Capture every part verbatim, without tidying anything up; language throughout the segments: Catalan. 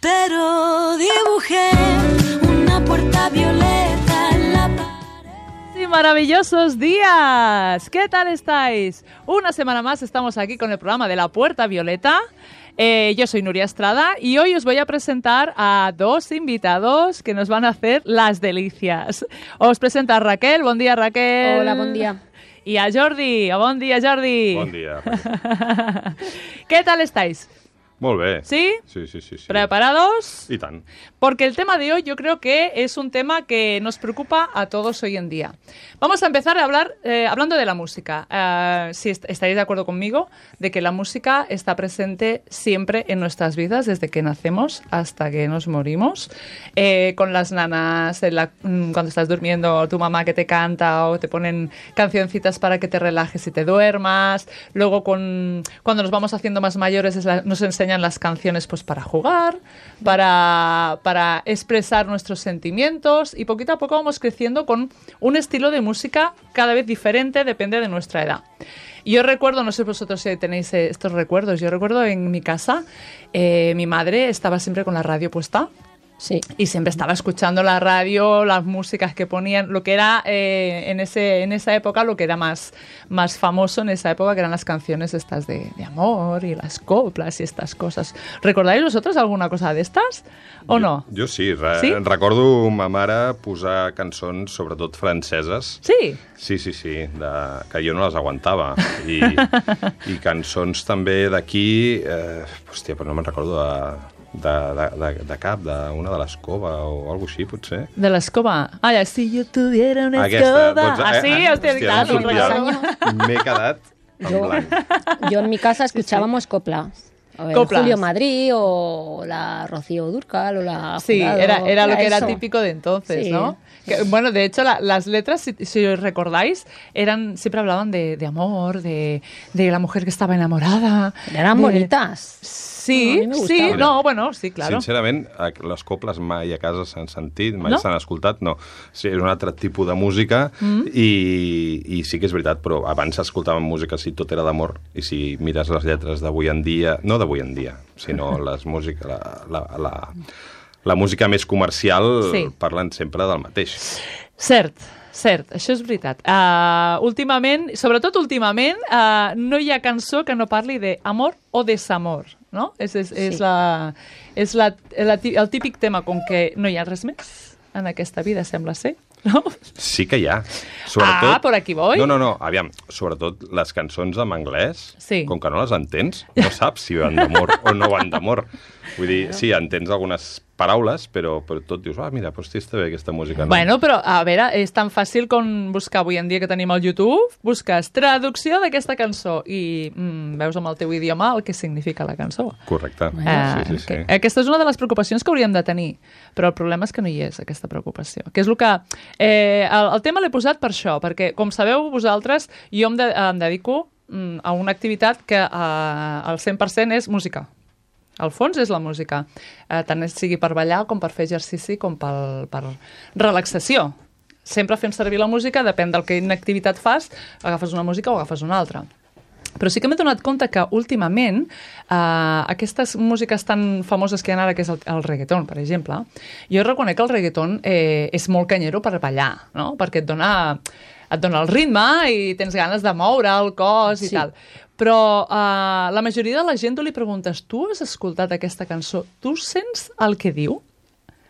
pero dibujé una puerta violeta en la pared. Sí, maravillosos días. ¿Qué tal estáis? Una semana más estamos aquí con el programa de La Puerta Violeta. Eh, yo soy Nuria Estrada y hoy os voy a presentar a dos invitados que nos van a hacer las delicias. Os presento a Raquel. Bon dia, Raquel. Hola, bon dia. Y a Jordi. Bon dia, Jordi. Bon dia. ¿Qué tal estáis? Molt bé. ¿Sí? Sí, sí, sí, sí. ¿Preparados? I tant. Porque el tema de hoy yo creo que es un tema que nos preocupa a todos hoy en día. Vamos a empezar a hablar eh, hablando de la música. Uh, si est estaréis de acuerdo conmigo de que la música está presente siempre en nuestras vidas, desde que nacemos hasta que nos morimos. Eh, con las nanas, en la, cuando estás durmiendo, tu mamá que te canta o te ponen cancioncitas para que te relajes y te duermas. Luego con, cuando nos vamos haciendo más mayores es la, nos enseñan las canciones pues para jugar, para, para expresar nuestros sentimientos, y poquito a poco vamos creciendo con un estilo de música cada vez diferente, depende de nuestra edad. Yo recuerdo, no sé vosotros si tenéis estos recuerdos, yo recuerdo en mi casa, eh, mi madre estaba siempre con la radio puesta. Sí. Y siempre estaba escuchando la radio, las músicas que ponían, lo que era eh, en, ese, en esa época, lo que era más, más famoso en esa época, que eran las canciones estas de, de amor y las coplas y estas cosas. ¿Recordáis vosotros alguna cosa de estas o no? Jo, jo sí, re sí, recordo ma mare posar cançons, sobretot franceses. Sí? Sí, sí, sí, de, que jo no les aguantava. I, i cançons també d'aquí, eh, hòstia, però no me'n recordo de... De, de, de, de cap, d'una de l'escova o alguna així, potser. De l'escova? Ah, ja, si jo tuviera una Aquesta, escova... doncs, ah, sí? eh, Hòstia, hòstia, clar, no no sortia. recordo. M'he quedat en Yo, blanc. yo en mi casa escuchábamos coplas. O el Coplas. Julio Madrid o la Rocío Dúrcal o la Sí, Jurado, era, era lo que era eso. típico de entonces, Sí. ¿no? Que, bueno, de hecho, la, las letras, si, si os recordáis, eran siempre hablaban de, de amor, de, de la mujer que estaba enamorada. Eran de... bonitas. Sí, No, a mi me sí, gustava. no, bueno, sí, claro. Sincerament, les coples mai a casa s'han sentit, mai No? s'han escoltat, no. Sí, és un altre tipus de música mm. i, i sí que és veritat, però abans s'escoltaven música si tot era d'amor, i si mires les lletres d'avui en dia, no d'avui en dia, sinó les música, la, la, la, la música més comercial, Sí. parlen sempre del mateix. Cert, cert, això és veritat. Uh, últimament, sobretot últimament, uh, no hi ha cançó que no parli d'amor o desamor, no? És, és, és, Sí. la, és la, la, el típic tema com que no hi ha res més en aquesta vida, sembla ser, no? Sí que hi ha. Sobretot... Ah, por aquí voy. No, no, no, aviam, sobretot les cançons en anglès, Sí. com que no les entens, no saps si van d'amor o no van d'amor. Vull dir, sí, entens algunes paraules, però, però tot dius, ah, mira, doncs està bé aquesta música. No? Bueno, però, a veure, és tan fàcil com buscar avui en dia que tenim al YouTube, busques traducció d'aquesta cançó i mm, veus amb el teu idioma el que significa la cançó. Correcte. Ah, sí, sí, sí. que, aquesta és una de les preocupacions que hauríem de tenir, però el problema és que no hi és, aquesta preocupació. Que és el que... Eh, el, el tema l'he posat per això, perquè, com sabeu vosaltres, jo em, de, em dedico mm, a una activitat que eh, el cent per cent és música. Al fons és la música, eh, tant sigui per ballar com per fer exercici com pel, per relaxació. Sempre fem servir la música, depèn del que quina activitat fas, agafes una música o agafes una altra. Però sí que m'he donat compte que últimament eh, aquestes músiques tan famoses que hi ha ara, que és el, el reggaeton, per exemple, jo reconec que el reggaeton eh, és molt canyero per ballar, no? Perquè et dona, et dona el ritme i tens ganes de moure el cos i Sí. tal. Però uh, la majoria de la gent tu li preguntes, tu has escoltat aquesta cançó, tu sents el que diu?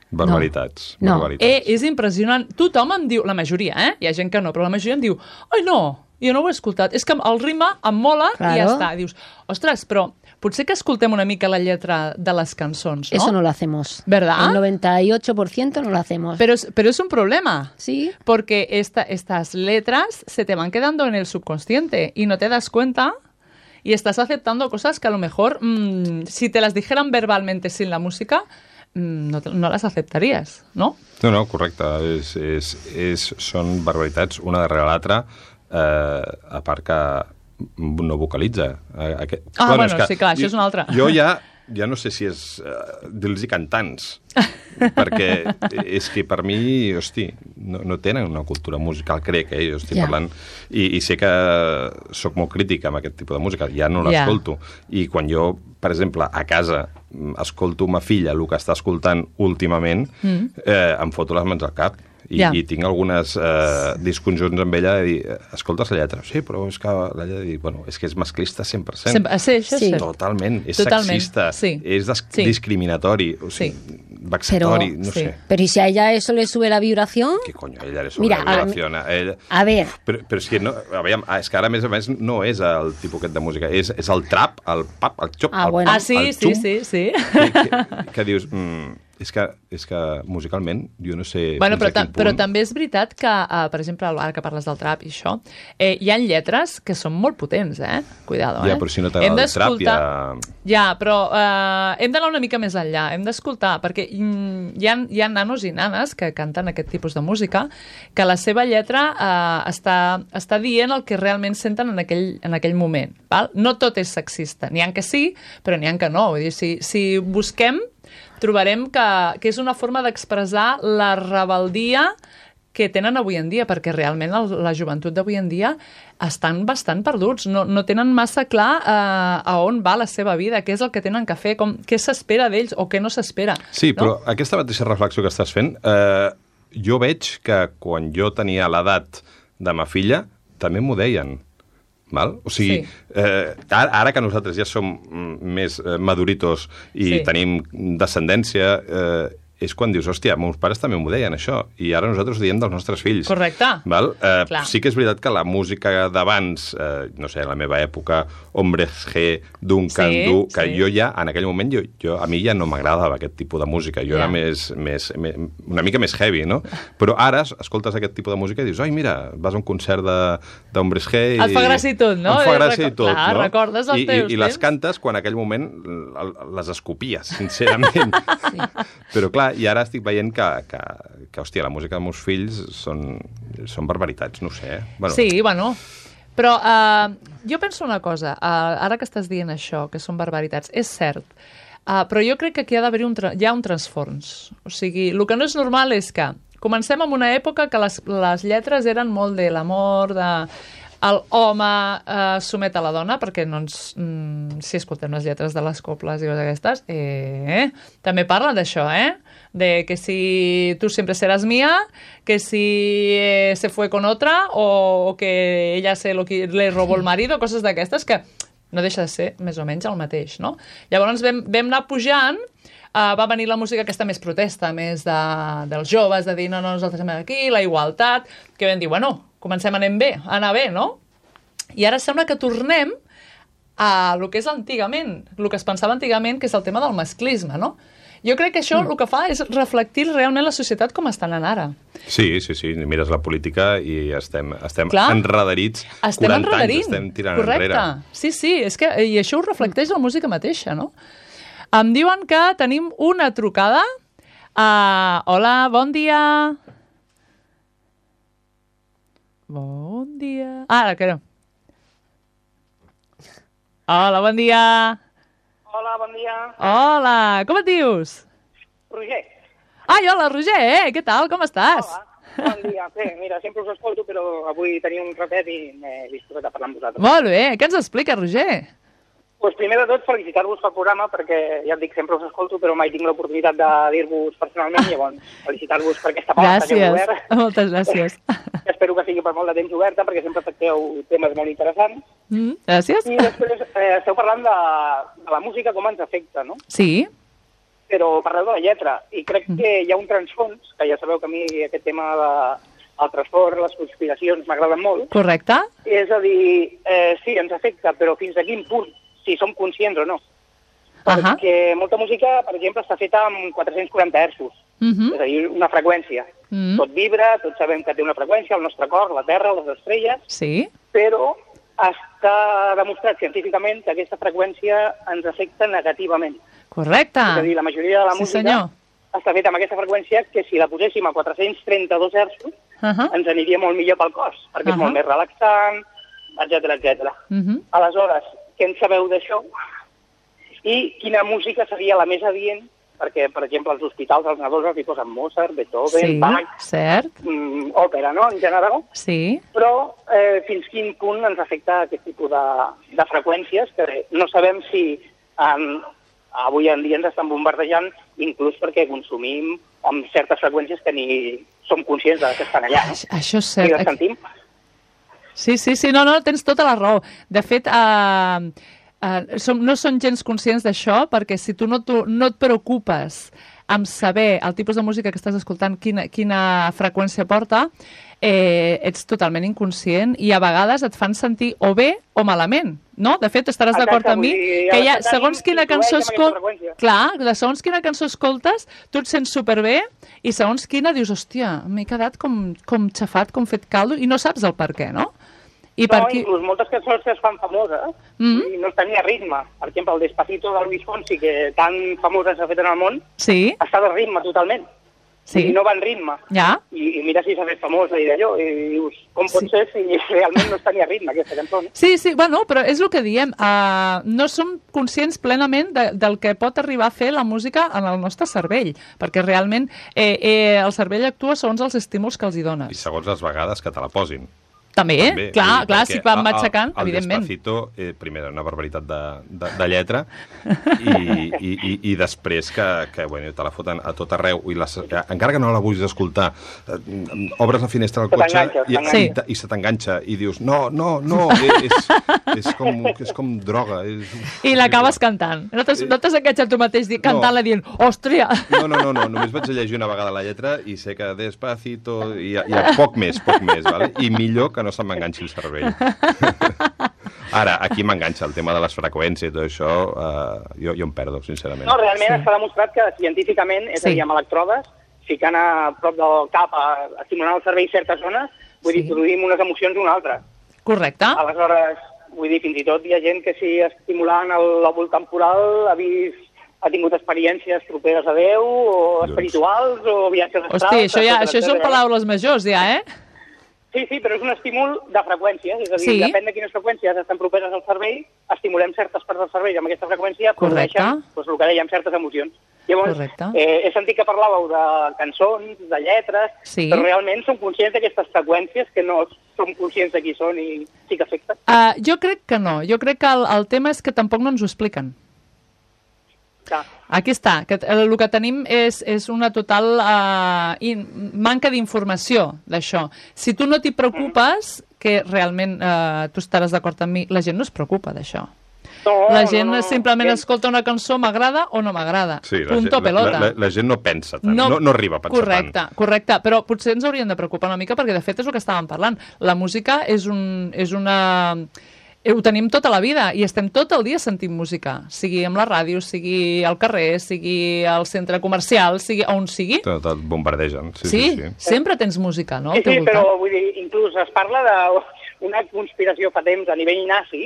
Barbaritats. No. barbaritats. Eh, és impressionant. Tothom em diu, la majoria, eh? Hi ha gent que no, però la majoria em diu, ai no, jo no ho he escoltat. És que el ritme em mola Claro. i ja està. Dius, ostres, però potser que escoltem una mica la lletra de les cançons, no? Eso no lo hacemos. ¿Verdad? El noventa y ocho por ciento no lo hacemos. Pero es, pero es un problema. Sí. Porque esta, estas letras se te van quedando en el subconsciente y no te das cuenta y estás aceptando cosas que a lo mejor, mmm, si te las dijeran verbalmente sin la música, mmm, no, te, no las aceptarías, ¿no? No, no, correcte. És, és, és, són barbaritats una darrere l'altra, eh, a part que no vocalitza. Aquest... Ah, bueno, és que sí, clar, això és una altra. Jo ja, ja no sé si és uh, dir-los cantants, perquè és que per mi, hosti, no, no tenen una cultura musical, crec, eh? Jo estic Ja. parlant, i, i sé que sóc molt crític amb aquest tipus de música, ja no Ja. l'escolto, i quan jo, per exemple, a casa escolto ma filla el que està escoltant últimament, mm. eh, em foto les mans al cap. I, ja. i tinc algunes eh, discussions amb ella de dir, escoltes la lletra? Sí, però és que la lletra de dir, bueno, és que és masclista cent per cent. Sempre, sí, això sí. Totalment, és Totalment. sexista, sí. és sí. discriminatori, o sigui, sí. vexatori, pero, no sí. sé. Pero ¿y si a ella eso le sube la vibración? ¿Qué coño? A ella le sube Mira, la vibración. A, ella... a ver... Però, però és que, no, aviam, és que ara, a més a més, no és el tipus aquest de música, és, és el trap, el pap, el xop, ah, el, bueno. ah, sí, el sí, xum, sí, sí. Que, que, que dius... Mm, és que, és que musicalment jo no sé... Bueno, però, ta punt... però també és veritat que, uh, per exemple, ara que parles del trap i això, eh, hi ha lletres que són molt potents, eh? Cuidado, eh? Ja, però si no t'agrada el trap, ja... Ja, però uh, hem d'anar una mica més enllà, hem d'escoltar, perquè mm, hi, ha, hi ha nanos i nanes que canten aquest tipus de música, que la seva lletra uh, està, està dient el que realment senten en aquell, en aquell moment. Val? No tot és sexista, n'hi ha que sí, però n'hi ha que no. Vull dir, si, si busquem, trobarem que, que és una forma d'expressar la rebeldia que tenen avui en dia, perquè realment el, la joventut d'avui en dia estan bastant perduts, no, no tenen massa clar eh, a on va la seva vida, què és el que tenen que fer, com, què s'espera d'ells o què no s'espera. Sí, no? Però aquesta mateixa reflexió que estàs fent, eh, jo veig que quan jo tenia l'edat de ma filla, també m'ho deien. Val? O sigui, sí. eh, ara, ara que nosaltres ja som més eh, maduritos i sí. tenim descendència, eh, és quan dius, hòstia, meus pares també m'ho deien, això, i ara nosaltres ho diem dels nostres fills. Correcte. Val? Eh, Clar. sí que és veritat que la música d'abans, eh, no sé, a la meva època, Hombres G, Duncan sí, Du, que sí. jo ja, en aquell moment, jo, jo, a mi ja no m'agradava aquest tipus de música, jo Ja. era més, més, més, una mica més heavy, no? Però ara escoltes aquest tipus de música i dius, ai, mira, vas a un concert d'Hombres G i... Et fa gràcia i tot, no? Em fa gràcia i tot, Clar, no? recordes els I, teus i, i les temps? cantes quan en aquell moment les escopies, sincerament. Sí. Però clar, i ara estic veient que, que, que hòstia, la música dels meus fills són, són barbaritats, no ho sé. Bueno, sí, bueno, però uh, jo penso una cosa, uh, ara que estàs dient això, que són barbaritats, és cert, uh, però jo crec que aquí ha d'haver un, hi ha un transfons. O sigui, el que no és normal és que comencem en una època que les, les lletres eren molt de l'amor, de... El home eh, somet a la dona, perquè no ens, mm, si escoltem les lletres de les coples i coses aquestes, eh, també parla d'això, eh? De que si tú siempre serás mía, que si eh, se fue con otra, o, o que ella se lo, le robó el marido, coses d'aquestes que no deixa de ser més o menys el mateix, no? Llavors vam, vam anar pujant, uh, va venir la música aquesta més protesta, més de, dels joves, de dir no, no, nosaltres som aquí, la igualtat, que vam dir, bueno, comencem a anar bé, a anar bé, no? I ara sembla que tornem a el que és antigament, el que es pensava antigament, que és el tema del masclisme, no? Jo crec que això mm. el que fa és reflectir realment la societat com està anant ara. Sí, sí, sí. Mires la política i estem, estem Clar, enredarits. estem quaranta enredarint. anys estem tirant Correcte. enrere. Sí, sí, és que, i això ho reflecteix la música mateixa, no? Em diuen que tenim una trucada. Uh, hola, bon dia. Bon dia. Ah, ara, que no. Hola, bon dia. Hola, bon dia. Hola, com et dius? Roger. Ai, hola, Roger, eh? Què tal, com estàs? Hola, bon dia. Bé, mira, sempre us escolto, però avui tenia un ratet i m'he disposat a parlar amb vosaltres. Molt bé, què ens explica, Roger? Pues primer de tot, felicitar-vos pel programa, perquè ja et dic, sempre us escolto, però mai tinc l'oportunitat de dir-vos personalment, llavors felicitar-vos per aquesta porta que heu obert. Gràcies, moltes gràcies. Espero que sigui per molt de temps oberta, perquè sempre tracteu temes molt interessants. Mm, gràcies. I després eh, esteu parlant de, de la música, com ens afecta, no? Sí. Però parleu de la lletra, i crec que hi ha un transfons, que ja sabeu que a mi aquest tema de, el transport, les conspiracions m'agraden molt. Correcte. És a dir, eh, sí, ens afecta, però fins a quin punt, si som conscients o no. Perquè uh -huh. molta música, per exemple, està feta amb quatre-cents quaranta hertzos, uh -huh. és a dir, una freqüència. Uh -huh. Tot vibra, tots sabem que té una freqüència, el nostre cor, la Terra, les estrelles, sí. Però està demostrat científicament que aquesta freqüència ens afecta negativament. Correcte. És a dir, la majoria de la sí, música senyor. està feta amb aquesta freqüència que si la poséssim a quatre-cents trenta-dos hertzos uh -huh. ens aniria molt millor pel cos, perquè uh -huh. és molt més relaxant, etcètera, etcètera. Uh -huh. Aleshores, què en sabeu d'això? I quina música seria la més adient? Perquè, per exemple, als hospitals, als nadons els hi posen Mozart, Beethoven, sí, Bach, cert. Mm, òpera, no?, en general. Sí. Però eh, fins quin punt ens afecta aquest tipus de, de freqüències, que no sabem si en, avui en dia ens estan bombardejant, inclús perquè consumim amb certes freqüències que ni som conscients de que estan allà. No? Això és cert. I les sentim. Sí, sí, sí, no, no, tens tota la raó. De fet, eh, eh, som, no són gens conscients d'això, perquè si tu no, tu no et preocupes amb saber el tipus de música que estàs escoltant, quina, quina freqüència porta, eh, ets totalment inconscient i a vegades et fan sentir o bé o malament, no? De fet, estaràs d'acord amb mi que hi ha, segons quina cançó escoltes, clar, de segons quina cançó escoltes, tu et sents superbé i segons quina dius, hòstia, m'he quedat com, com xafat, com fet caldo i no saps el per què, no? I no, per qui... inclús moltes cançons que es fan famoses mm-hmm. i no tenia ritme. Per exemple, el Despacito de Luis Fonsi, que tan famosa s'ha fet en el món, sí. està de ritme totalment. Sí. I no va en ritme. Ja. I, I mira si s'ha fet famosa i d'allò. I dius, com pot sí. ser si realment no tenia ritme aquesta cançó? Sí, sí, bueno, però és el que diem. Uh, no som conscients plenament de, del que pot arribar a fer la música en el nostre cervell, perquè realment eh, eh, el cervell actua segons els estímuls que els hi dones. I segons les vegades que te la posin. També, També, clar, dir, clar, si van matxacant, el, el evidentment. El Despacito, eh, primer, una barbaritat de, de, de lletra, i, i, i, i després que, que bueno, te la foten a tot arreu, i les, encara que no la vulguis escoltar, eh, obres la finestra del cotxe i, sí. i, i se t'enganxa, i dius, no, no, no, és, és, com, és com droga. És, I l'acabes cantant. No t'has no enganxat tu mateix cantant-la no. dient, òstria! No, no, no, no, només vaig llegir una vegada la lletra i sé que Despacito, i hi ha poc més, poc més, vale? I millor que no se m'enganxi el cervell. Ara, aquí m'enganxa el tema de les freqüències i tot això, eh, jo, jo em perdo, sincerament. No, realment sí. està demostrat que científicament, és sí. a dir, amb electrodes, ficant a prop del cap, a, estimulant el cervell certes zones, vull sí. dir, produïm unes emocions una altra. Correcte. Aleshores, vull dir, fins i tot hi ha gent que si estimulant el lòbul temporal ha vist ha tingut experiències properes a Déu, o espirituals, o viatges astrals... Hosti, això, ja, això són paraules majors, ja, eh? Sí, sí, però és un estímul de freqüències, és a dir, sí. depèn de quines freqüències estan properes al cervell, estimulem certes parts del cervell amb aquesta freqüència, produeixen doncs, el que dèiem, certes emocions. Llavors, eh, he sentit que parlàveu de cançons, de lletres, sí. però realment som conscients d'aquestes freqüències que no som conscients de qui són i sí que afecten. Uh, jo crec que no, jo crec que el, el tema és que tampoc no ens ho expliquen. Clar. Aquí està, que el que tenim és, és una total uh, in, manca d'informació d'això. Si tu no t'hi preocupes, mm. que realment uh, tu estaràs d'acord amb mi, la gent no es preocupa d'això. No, la gent no, no, simplement no. escolta una cançó, m'agrada o no m'agrada. Sí, Punto gent, pelota. La, la, la gent no pensa tant, no, no, no arriba a pensar correcte, tant. Correcte, però potser ens haurien de preocupar una mica perquè de fet és el que estàvem parlant. La música és, un, és una... Ho tenim tota la vida i estem tot el dia sentint música, sigui amb la ràdio, sigui al carrer, sigui al centre comercial, sigui on sigui. Tot, tot bombardegen. Sí, sí, sí, sí. Sempre tens música, no? Sí, sí, però vull dir, inclús es parla d'una conspiració fa temps a nivell nazi.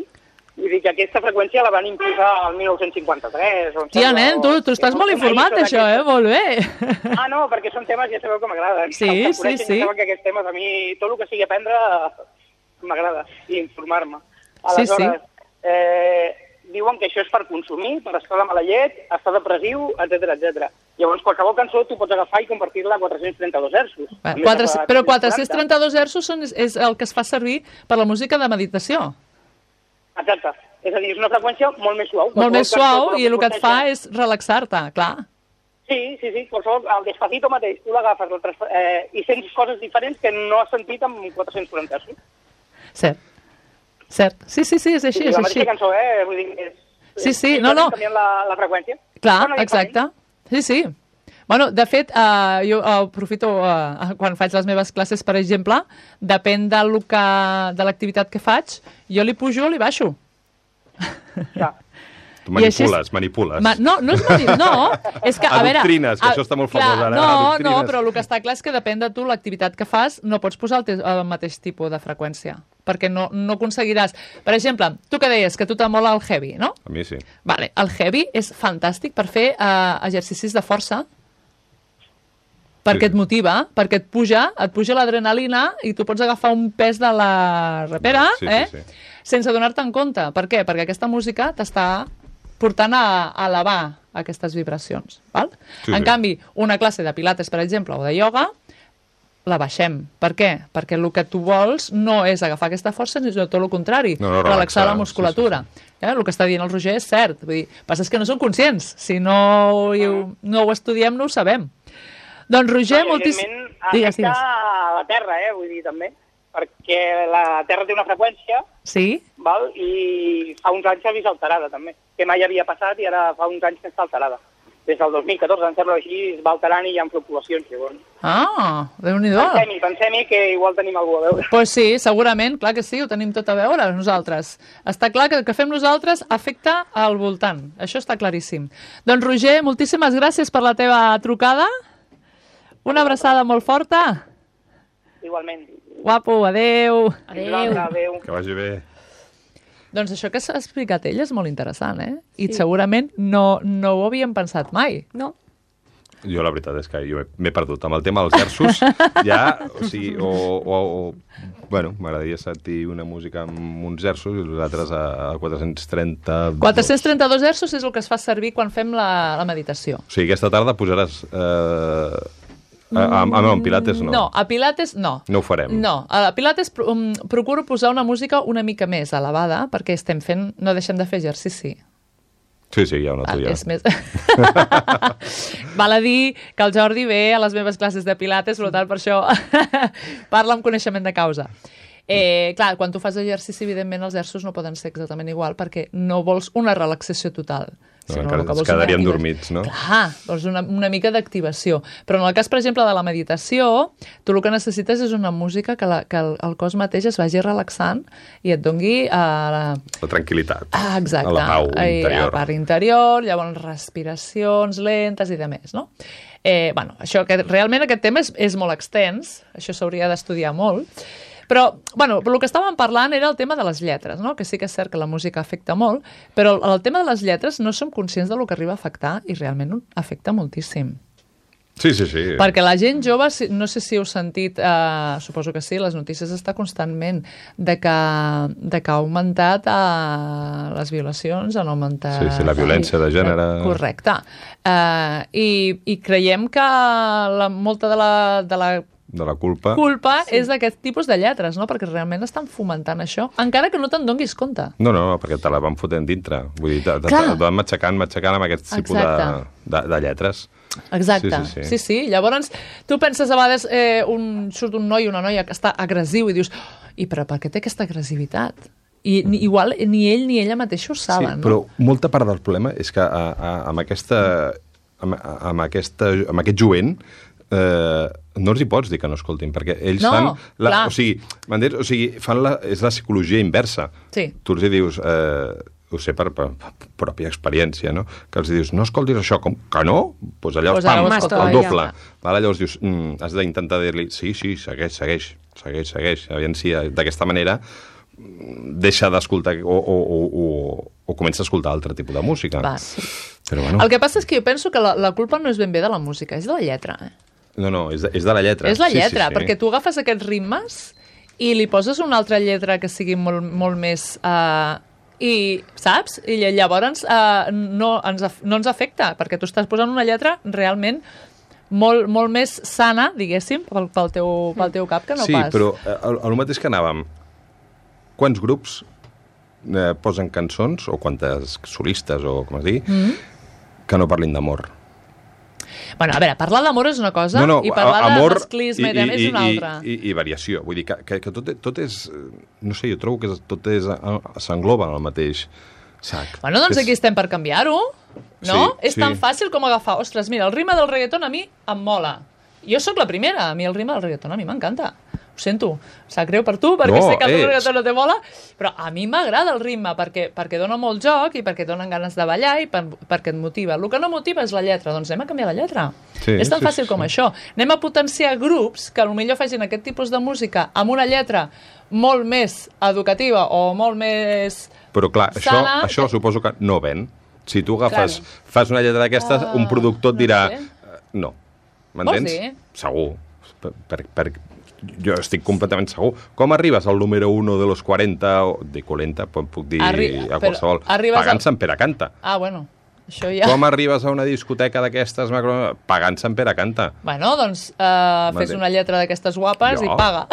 Vull dir que aquesta freqüència la van imposar el mil nou-cents cinquanta-tres. Tia, nen, tu, tu estàs molt informat d'això, eh? Molt bé. Ah, no, perquè són temes, ja sabeu que m'agraden. Sí, sí, sí. Ja que aquests temes, a mi, tot el que sigui aprendre, m'agrada, i informar-me. Aleshores, sí, sí. Eh, diuen que això és per consumir, per estar de mala llet, estar depressiu, etcètera, etcètera. Llavors, qualsevol cançó tu pots agafar i convertir-la a quatre-cents trenta-dos hertzos. quatre, però quatre-cents trenta-dos hertzos són, és el que es fa servir per la música de meditació. Exacte. És a dir, és una freqüència molt més suau. Molt més suau i el que et fa és relaxar-te, clar. Sí, sí, sí. Qualsevol, el Despacito mateix, tu l'agafes eh, i sents coses diferents que no has sentit amb quatre-cents quaranta hertzos. Cert. Cert. Sí, sí, sí, és així, sí, és la així. mateixa cançó, eh? Vull dir, és, sí, sí, és no, no. canviant la, la freqüència. Clar, bueno, exacte. Sí, sí. Bueno, de fet, uh, jo uh, aprofito, uh, quan faig les meves classes, per exemple, depèn de, que, de l'activitat que faig, jo li pujo o li baixo. Ja. Tu manipules, és... manipules. Ma... No, no és manipular, no. És que, a veure... Adoctrines, que a... això està molt famós ara. No, no, però el que està clar és que depèn de tu l'activitat que fas, no pots posar el, te... el mateix tipus de freqüència, perquè no, no aconseguiràs... Per exemple, tu que deies que a tu t'amola el heavy, no? A mi sí. Vale, el heavy és fantàstic per fer uh, exercicis de força, perquè sí. et motiva, perquè et puja, et puja l'adrenalina i tu pots agafar un pes de la repera, sí, eh? Sí, sí. Sense donar-te en compte. Per què? Perquè aquesta música t'està portant a, a elevar aquestes vibracions. Val? Sí, en sí. canvi, una classe de pilates, per exemple, o de ioga, la baixem. Per què? Perquè el que tu vols no és agafar aquesta força, sinó tot el contrari, no, no, relaxar, relaxar la musculatura. Sí, sí, sí. Eh? El que està dient el Roger és cert. Vull dir, passa és que no són conscients. Si no, ho, no ho estudiem, no ho sabem. Doncs, Roger, no, moltíssim... Digues, digues. A la Terra, eh, vull dir, també. Perquè la Terra té una freqüència, sí? val? I fa uns anys s'ha vist alterada, també. Que mai havia passat i ara fa uns anys que està alterada. Des del dos mil catorze, em sembla així, es va alterant i hi ha fluctuacions, llavors. Ah, Déu-n'hi-do. Pensem-hi, pensem-hi que igual tenim alguna a veure. Doncs pues sí, segurament, clar que sí, ho tenim tot a veure nosaltres. Està clar que el que fem nosaltres afecta al voltant, això està claríssim. Doncs Roger, moltíssimes gràcies per la teva trucada. Una abraçada molt forta. Igualment. Guapo, adeu. Adeu. Adeu. Que vagi bé. Doncs això que s'ha explicat ell és molt interessant, eh? I sí. segurament no, no ho havíem pensat mai. No. Jo la veritat és que jo m'he perdut. Amb el tema dels versos, ja, o sigui, o... o, o bueno, m'agradaria sentir una música amb uns versos i els altres a, a quatre-cents trenta-dos. quatre-cents trenta-dos versos és el que es fa servir quan fem la, la meditació. O sigui, aquesta tarda posaràs... Eh, a, a, a, a Pilates no. No, a Pilates no. No ho farem. No, a Pilates um, procuro posar una música una mica més elevada perquè estem fent, no deixem de fer exercici. Sí, sí, ja ho noto, ja. És més... Val a dir que el Jordi ve a les meves classes de Pilates, per tant, per això parla amb coneixement de causa. Eh, clar, quan tu fas exercici, evidentment, els versos no poden ser exactament igual perquè no vols una relaxació total. No, sinó encara ens quedaríem dormits, no? Clar, vols una, una mica d'activació. Però en el cas, per exemple, de la meditació, tu el que necessites és una música que, la, que el, el cos mateix es vagi relaxant i et dongui a la... La tranquil·litat. Ah, exacte. A la pau interior. A la part interior, llavors respiracions lentes i de més, no? Eh, bueno, això, que realment aquest tema és, és molt extens, això s'hauria d'estudiar molt, però, bueno, el que estàvem parlant era el tema de les lletres, no? Que sí que és cert que la música afecta molt, però el, el tema de les lletres no som conscients del que arriba a afectar i realment afecta moltíssim. Sí, sí, sí. Perquè la gent jove, no sé si heu sentit, eh, suposo que sí, les notícies està constantment de que, de que ha augmentat eh, les violacions, han augmentat... Sí, sí, la violència de gènere... Correcte. Eh, i, I creiem que la, molta de la... De la de la culpa, culpa sí. és d'aquest tipus de lletres, no? Perquè realment estan fomentant això, encara que no te'n donguis compte. No, no, perquè te la van fotent dintre. Vull dir, te, te, te van matxacant, matxacant amb aquest tipus de, de, de lletres. Exacte, sí sí, sí. sí, sí. Llavors, tu penses a vegades, eh, un, surt un noi o una noia que està agressiu i dius, oh, i però per què té aquesta agressivitat? I ni, igual ni ell ni ella mateixa ho saben. Sí, però no? Molta part del problema és que a, a, amb, aquesta, amb, amb, aquesta, amb aquest jovent eh, no els hi pots dir que no escoltin, perquè ells no, fan... La, clar. o sigui, o sigui fan la, és la psicologia inversa. Sí. Tu els hi dius... Eh, ho sé per, per, per pròpia experiència, no? Que els dius, no escoltis això, com que no? Doncs pues allò, pues pam, el doble. Vale? Llavors dius, mm, has d'intentar dir-li, sí, sí, segueix, segueix, segueix, segueix. Aviam si d'aquesta manera deixa d'escoltar o, o, o, o, o comença a escoltar altre tipus de música. Va. Però, bueno. El que passa és que jo penso que la, la culpa no és ben bé de la música, és de la lletra. Eh? No, no, és de, és de la lletra. És la lletra, sí, sí, sí. Perquè tu agafes aquests ritmes i li poses una altra lletra que sigui molt, molt més... Uh, i, saps? I llavors uh, no, ens, no ens afecta, perquè tu estàs posant una lletra realment molt, molt més sana, diguéssim, pel, pel, teu, pel teu cap que no sí, pas. Sí, però el, el mateix que anàvem, quants grups eh, posen cançons, o quantes solistes, o com es digui, mm-hmm. que no parlin d'amor? Bueno, a veure, parlar d'amor és una cosa, no, no, i parlar amor, de masclisme i, i, és una altra. I, i, i variació. Vull dir que, que, que tot, tot és... No sé, jo trobo que tot és, s'engloba en el mateix sac. Bueno, doncs és... aquí estem per canviar-ho, no? Sí, és sí. tan fàcil com agafar... Ostres, mira, el ritme del reggaeton a mi em mola. Jo sóc la primera, a mi el ritme del reggaeton a mi m'encanta. Ho sento, sap greu per tu, perquè no, sé que el reggaeton no te mola, però a mi m'agrada el ritme, perquè, perquè dona molt joc i perquè donen ganes de ballar i per, perquè et motiva. El que no motiva és la lletra, doncs anem a canviar la lletra. Sí, és tan sí, fàcil sí, com sí. això. Anem a potenciar grups que potser facin aquest tipus de música amb una lletra molt més educativa o molt més... Però clar, això, sana, això que... suposo que no ven. Si tu agafes, Clar. fas una lletra d'aquestes, uh, un productor et dirà... No, sé. no. M'entens? Segur. Per, per, per, jo estic completament segur. Com arribes al número uno de los quaranta, o de quaranta, puc dir Arri a qualsevol, pagant al... Sant Pere Canta. Ah, bueno. Això ja... Com arribes a una discoteca d'aquestes macro... pagant Sant Pere canta? Bueno, doncs uh, fes una lletra d'aquestes guapes jo. i paga.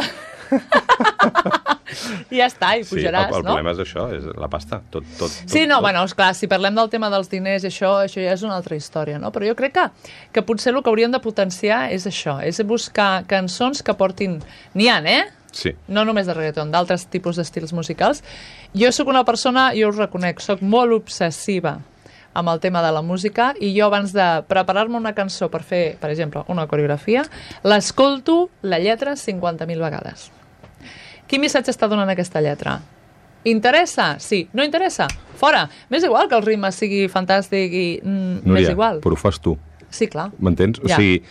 I ja està, i pujaràs, sí, el, el no? problema és això, és la pasta. Tot, tot, tot, sí, no, tot. bueno, esclar, si parlem del tema dels diners i això, això ja és una altra història, no? Però jo crec que, que potser el que hauríem de potenciar és això, és buscar cançons que portin... N'hi ha, eh? Sí. No només de reggaeton, d'altres tipus d'estils musicals. Jo sóc una persona, jo us reconec, sóc molt obsessiva amb el tema de la música i jo abans de preparar-me una cançó per fer, per exemple, una coreografia, l'escolto la lletra cinquanta mil vegades. Quin missatge està donant aquesta lletra? Interessa? Sí. No interessa? Fora. M'és igual que el ritme sigui fantàstic i mm, Núria, m'és igual. però ho fas tu. Sí, clar. M'entens? Ja. O sigui,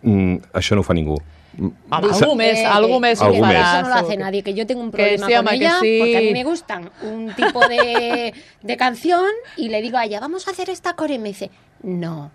mm, això no ho fa ningú. Home, algú més, Eh, algú eh, més algú ho més. farà. Eso no lo hace segur. nadie, que yo tengo un Que problema sí, con home, que ella, sí. porque a mí me gustan un tipo de, de canción y le digo a ella, vamos a hacer esta core, y me dice, no.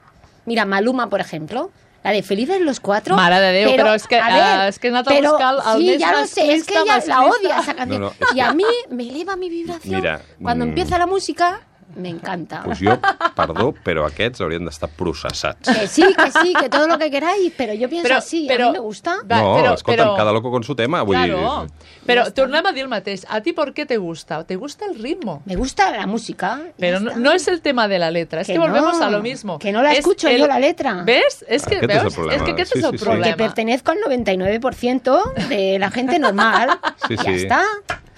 Mira, Maluma, por ejemplo, la de Felices los Cuatro. Mare de Déu, però és que, a ver, uh, és que he anat a pero, buscar el sí, més ya lo sé, es que masclista, ella la masclista. odia esa canción. No, no, es y que- a mí me eleva mi vibración. Mira, Cuando mm, empieza la música, me encanta. Pues jo, perdó, però aquests haurien d'estar processats. Que sí, que sí, que todo lo que queráis, pero yo pienso Però- así, però- a mí me gusta. Va, no, però- escolta'm, però- cada loco con su tema. Vull Claro. dir, Pero tornem a dir el mateix. ¿A ti por qué te gusta? ¿Te gusta el ritmo? Me gusta la música. ya Pero no, está. no es el tema de la letra, es que, Que volvemos no, a lo mismo. que no la Es escucho yo la letra. ¿Ves? Es que, Aquest és el ¿veus? problema. Es que aquest Sí, és el sí, sí. problema. Porque pertenezco al noventa y nueve por ciento de la gente normal. Sí, Ya sí. está.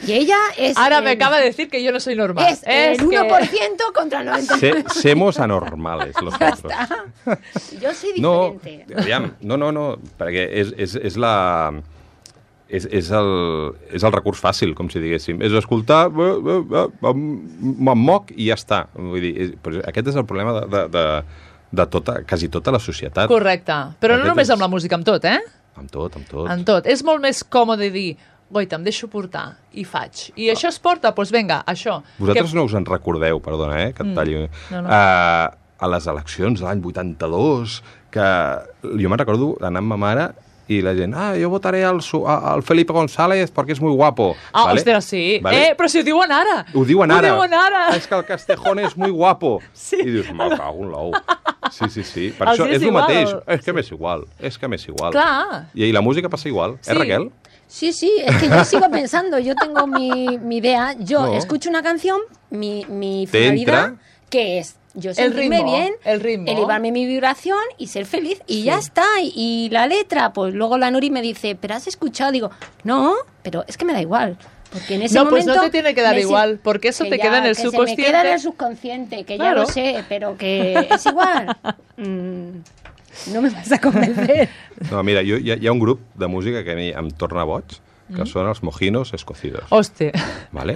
Y ella es... Ahora el- me acaba de decir que yo no soy normal. Es el que- uno por ciento contra el noventa y nueve por ciento. se, semos anormales, los Ya otros. está. Yo soy No, diferente. aviam, no, no, no, perquè és, és, és la... És, és, el, és el recurs fàcil, com si diguéssim. És escoltar, eh, eh, eh, me'n moc i ja està. Vull dir, és, però aquest és el problema de, de, de, de tota, quasi tota la societat. Correcte. Però no Aquest només és- amb la música, amb tot, eh? Amb tot, amb tot. En tot. És molt més còmode dir goita, em deixo portar, i faig. I això es porta? Doncs vinga, això. Vosaltres que... no us en recordeu, perdona, eh, que et talli. No, no. Uh, a les eleccions de l'any vuitanta-dos, que jo me'n recordo d'anar amb ma mare i la gent, ah, jo votaré al, su- a- al Felipe González perquè és muy guapo. Ah, vale? ostres, sí. Vale? Eh, però si ho diuen ara. Ho diuen ara. Ho diuen ara. Ah, és que el Castejón és muy guapo. Sí. I dius, me cago en l'ou. Sí, sí, sí. Per Els això és és el igual. mateix. És que m'és igual. És que m'és igual. Clar. I, I la música passa igual. Sí. Eh, Raquel? Sí, sí, es que yo sigo pensando, yo tengo mi, mi idea, yo No. escucho una canción, mi, mi Te finalidad, entra. que es yo El sentirme ritmo, bien, el ritmo. elevarme mi vibración y ser feliz, y ya está. Y, y la letra, pues luego la Nuri me dice, ¿pero has escuchado? Digo, no, pero es que me da igual. Porque en ese No, pues momento no te tiene que dar me si- igual, porque eso que te ya- queda en el que se me subconsciente. queda en el subconsciente, que Claro. ya lo sé, pero que es igual. Mm, no me vas a convencer. No, mira, jo, hi, ha, hi ha un grup de música que a mi em torna boig, que mm. són els mojinos escocidos. Hòstia. Vale?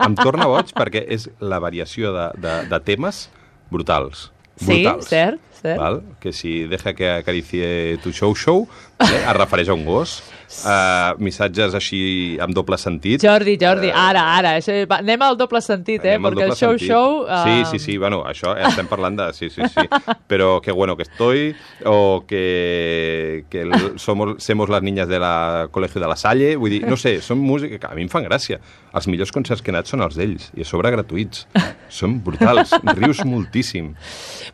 Em torna boig perquè és la variació de, de, de temes brutals. Sí, brutals. cert, cert. Val? Que si deja que acaricie tu show show, vale? Es refereix a un gos. Uh, missatges així amb doble sentit. Jordi, Jordi, ara, ara. Això, va, anem al doble sentit, eh? Anem al Perquè el doble show sentit. show... Uh... Sí, sí, sí, bueno, això estem parlant de... Sí, sí, sí. Pero qué bueno que estoy, o que, que el, somos, somos las niñas de la Colegio de la Salle, vull dir, no sé, són música que a mi em fan gràcia. Els millors concerts que he anat són els d'ells, i a sobre gratuïts. Són brutals, rius moltíssim.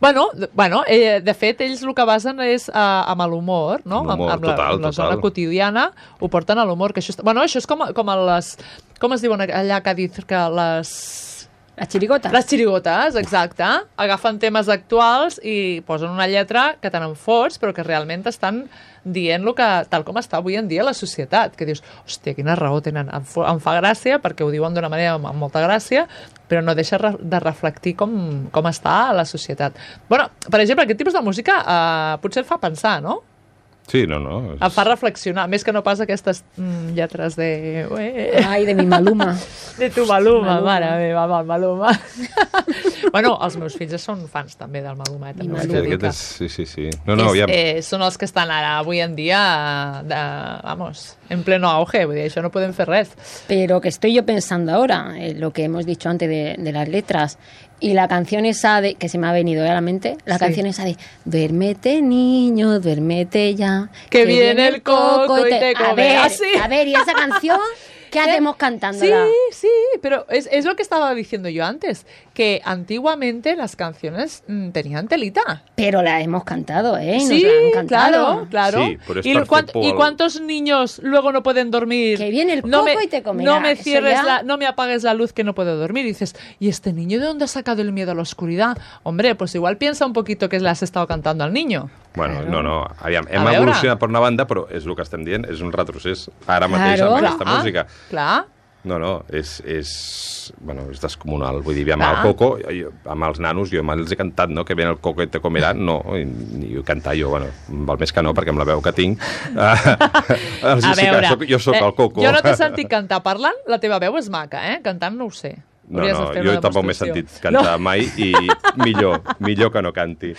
Bueno, d- bueno eh, de fet, ells el que basen és uh, amb l'humor, no? Amb l'humor, amb, amb la, total, amb la zona total. quotidiana, ho porten a l'humor. Que això, està... bueno, això és com, com a les... Com es diuen allà a Cádiz? Que les... Las chirigotas. Les xirigotes, exacte. Agafen temes actuals i posen una lletra que te n'en fots, però que realment estan dient lo que, tal com està avui en dia la societat. Que dius, hòstia, quina raó tenen. Em, fo- em fa gràcia, perquè ho diuen d'una manera amb, amb molta gràcia, però no deixa re de reflectir com, com està la societat. Bueno, per exemple, aquest tipus de música eh, potser et fa pensar, no? Sí, no, no. Et fa reflexionar, més que no pas aquestes mm, lletres de... Ué, Ay, de mi Maluma. de tu Maluma, Maluma. mare meva, amb el Maluma. bueno, els meus fills són fans també del Maluma. Eh, també us Sí, he de dir aquest que és, sí, sí, sí. No, no, és, aviam. eh, són els que estan ara, avui en dia, de, vamos, en pleno auge, vull dir, això no podem fer res. Pero que estoy yo pensando ahora, en lo que hemos dicho antes de, de las letras, y la canción esa de, que se me ha venido a la mente, la Sí. canción esa de duérmete niño, duérmete ya, Que viene el coco y te come. A ver, Ah, sí. a ver, y esa canción ¿Qué hacemos cantándola? Sí, sí, pero es, es lo que estaba diciendo yo antes, que antiguamente las canciones mmm, tenían telita. Pero la hemos cantado, ¿eh? Nos Sí, la han cantado. claro, claro. Sí, pero es ¿Y, perfecto cuánt- ¿Y el- cuántos niños luego no pueden dormir? Que viene el no coco me, y te comerá. No me Eso cierres ya- la, no me apagues la luz que no puedo dormir. Y dices, ¿y este niño de dónde ha sacado el miedo a la oscuridad? Hombre, pues igual piensa un poquito que le has estado cantando al niño. Bueno, no, no, aviam, hem veure. evolucionat per una banda, però és el que estem dient, és un retrocés ara mateix Claro. amb aquesta Clar, música. clar. No, no, és, és, bueno, és descomunal. Vull dir, amb Clar. el Coco, jo, amb els nanos, jo me'ls he cantat, no?, que ven el Coco i te comerà, no, i, i cantar jo, bueno, val més que no, perquè amb la veu que tinc, uh, els A sí que veure, soc, jo sóc eh, el Coco. jo no t'he sentit cantar parlant, la teva veu és maca, eh? Cantant no ho sé. No, Hauries no, de fer jo una tampoc m'he demostració. sentit cantar no. mai i millor, millor que no canti.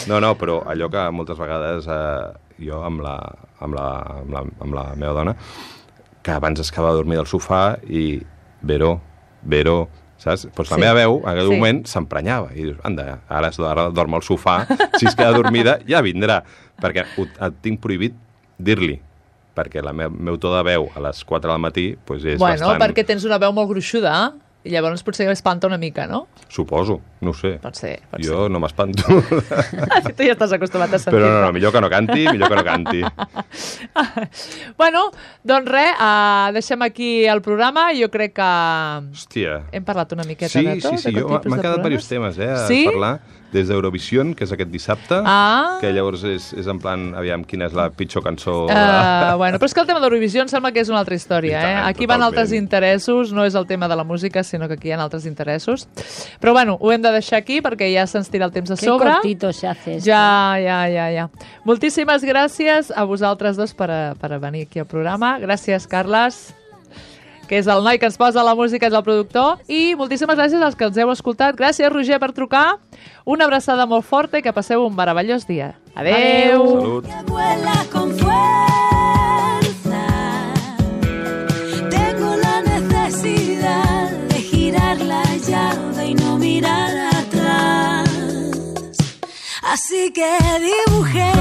No, no, però allò que moltes vegades eh, jo amb la, amb, la, amb, la, amb la meva dona, que abans es quedava a dormir del sofà i Vero, Vero, saps? Doncs la Sí. meva veu, en aquell Sí. moment, s'emprenyava. I dius, anda, ara, es- ara dorm al sofà, si es queda dormida ja vindrà. Perquè ho, et tinc prohibit dir-li, perquè el meu, meu to de veu a les quatre del matí pues, és Bueno, bastant... perquè tens una veu molt gruixuda, i llavors potser espanta una mica, no? Suposo, no ho sé. Pot ser, pot Jo no m'espanto. ser. Tu ja estàs acostumat a sentir. Però no, no, millor que no canti, millor que no canti. Bueno, doncs res, uh, deixem aquí el programa. Jo crec que Hòstia. hem parlat una miqueta Sí, de tot. sí, sí, de jo tot tipus m'han de quedat programes. diversos temes, eh, a Sí? parlar. Des d'Eurovision, que és aquest dissabte, Ah. que llavors és, és en plan, aviam, quina és la pitjor cançó... de- Uh, bueno, però és que el tema d'Eurovisió em sembla que és una altra història. I tant, Eh? Aquí van totalment. altres interessos, no és el tema de la música, sinó que aquí hi ha altres interessos. Però bueno, ho hem de deixar aquí perquè ja se'ns tira el temps a Qué sobre. cortito se hace esto. Ja, ja, ja, ja. Moltíssimes gràcies a vosaltres dos per, a, per a venir aquí al programa. Gràcies, Carles, que és el noi que ens posa la música, és el productor. I moltíssimes gràcies als que els heu escoltat. Gràcies, Roger, per trucar. Una abraçada molt forta i que passeu un meravellós dia. Adeu. Salut. Que vuela con fuerza. Tengo la necesidad de girar la llave y no mirar atrás. Así que dibujé